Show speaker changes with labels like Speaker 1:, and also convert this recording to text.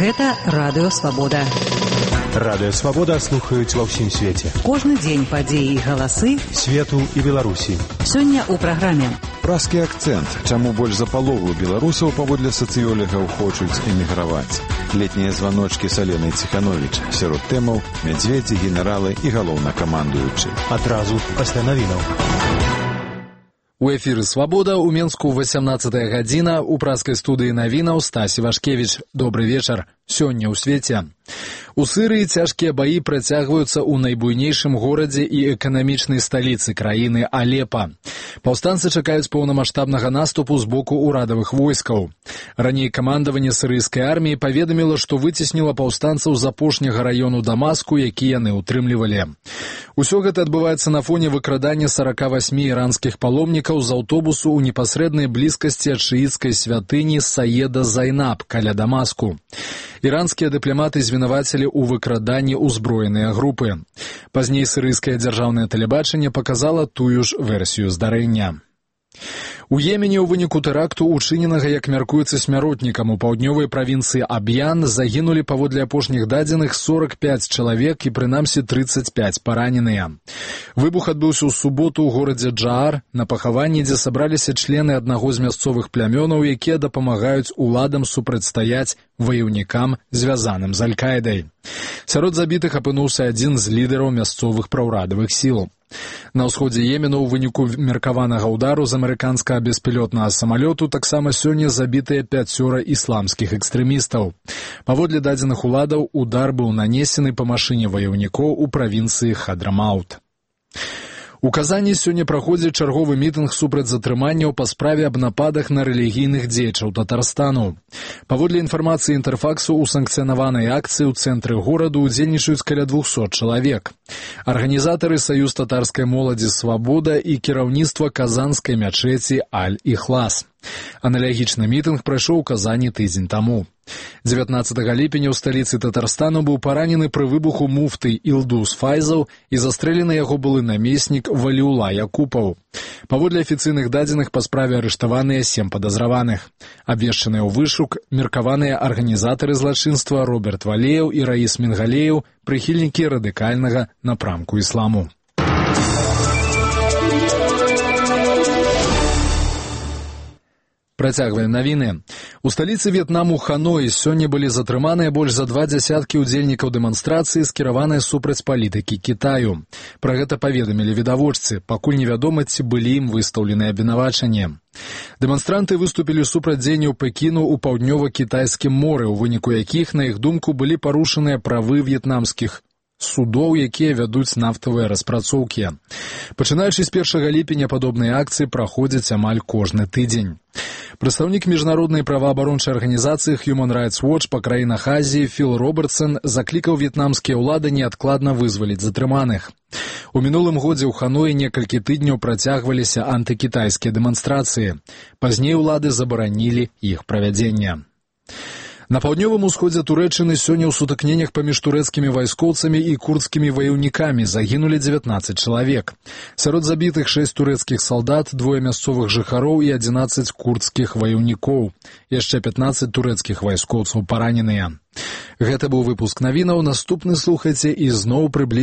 Speaker 1: Гэта Радыё Свабода.
Speaker 2: Радыё Свабода слухаюць ва ўсім свеце.
Speaker 1: Кожны дзень падзеі і галасы
Speaker 2: свету і Беларусі.
Speaker 1: Сёння ў праграме.
Speaker 3: Пражскі акцэнт. Чаму больш за палову беларусаў паводле сацыёлігаў хочуць эміграваць? Летнія званочкі з Аленай Ціхановіч. Сярод тэмаў мядзведзі, генералы і галоўнакамандуючы.
Speaker 2: Адразу пасля навінаў.
Speaker 4: У эфіры «Свабода» у Менску 18 гадзіна, у пражскай студыі навінаў Стась Івашкевіч. Добры вечар. Сёння ў свеце. У Сырыі цяжкія баі працягваюцца ў найбуйнейшым горадзе і эканамічнай сталіцы краіны Алепа. Паўстанцы чакаюць поўнамаштабнага наступу з боку ўрадавых войскаў. Раней камандаванне сырыйскай арміі паведаміла, што выцесніла паўстанцаў з апошняга раёну Дамаску, які яны ўтрымлівалі. Усё гэта адбываецца на фоне выкрадання 48 іранскіх паломнікаў з аўтобусу ў непасрэднай блізкасці ад шыіцкай святыні Саеда Зайнаб каля Дамаску. Іранскія дыпламаты звінавацілі ў выкраданні ўзброеныя групы. Пазней сырыйскае дзяржаўнае тэлебачанне паказала тую ж версію здарэння. У Йемене ў выніку тэракту, учыненага, як мяркуецца, смяротнікам у паўднёвай правінцыі Аб'ян, загінулі паводле апошніх дадзеных 45 чалавек і прынамсі 35 параненыя. Выбух адбыўся ў суботу ў горадзе Джаар, на пахаванні, дзе сабраліся члены аднаго з мясцовых плямёнаў, якія дапамагаюць уладам супрацьстаяць ваяўнікам, звязаным з Аль-Каідай. Сярод забітых апынуўся адзін з лідараў мясцовых праўрадавых сіл. На ўсходзе Йемену ў выніку меркаванага ўдару з амерыканскага беспілотнага самалёту таксама сёння забітыя 5 ісламскіх экстрэмістаў. Паводле дадзеных уладаў, удар быў нанесены па машыне ваяўнікоў у правінцыі Хадрамаут. У Казані сёння праходзіць чарговы мітынг супраць затрыманняў па справе аб нападах на рэлігійных дзеячаў Татарстану. Паводле інфармацыі Інтэрфаксу, у санкцыянаванай акцыі ў цэнтры гораду ўдзельнічаюць каля 200 чалавек. Арганізатары Саюз татарскай моладзі «Свабода» і кіраўніцтва казанскай мячэці Аль-Іхлас. Аналагічны мітынг прайшоў у Казані тыдзень таму. 19 ліпеня ў сталіцы Татарстану быў паранены пры выбуху муфты Ілдус Файзаў і застрэлены яго былы намеснік Валіула Якупаў. Паводле афіцыйных дадзеных, па справе арыштаваныя 7 падазраваных. Абвешчаныя ў вышук меркаваныя арганізатары злачынства Роберт Валеяў і Раіс Мінгалеяў, прыхільнікі радыкальнага напрамку ісламу. Працягваем навіны. У сталіцы В'етнаму Ханой сёння былі затрыманыя больш за 20 удзельнікаў дэманстрацыі, скіраваныя супраць палітыкі Кітаю. Пра гэта паведамілі відавочцы, пакуль невядома, ці былі ім выстаўленыя абвінавачанні. Дэманстранты выступілі супраць дзеянняў Пекіну ў паўднёва-кітайскім моры, у выніку якіх, на іх думку, былі парушаныя правы в'етнамскіх судоў, якія вядуць нафтавыя распрацоўкі. Пачынаючы з 1 ліпеня падобныя акцыі праходзяць амаль кожны тыдзень. Прадстаўнік міжнароднай праваабарончай арганізацыі Human Rights Watch па краінах Азіі Філ Робертсон заклікаў в'етнамскія ўлады неадкладна вызваліць затрыманых. У мінулым годзе ў Ханоі некалькі тыдняў працягваліся антыкітайскія дэманстрацыі. Пазней улады забаранілі іх правядзенне. На паўднёвым усходзе Турэччыны сёння ў сутыкненнях паміж турэцкімі вайскоўцамі і курдскімі ваяўнікамі загінулі 19 чалавек. Сярод забітых 6 турэцкіх салдат, 2 мясцовых жыхароў і 11 курдскіх ваяўнікоў. Яшчэ 15 турэцкіх вайскоўцаў параненыя. Гэта быў выпуск навінаў. Наступны слухайце і зноў прыблізна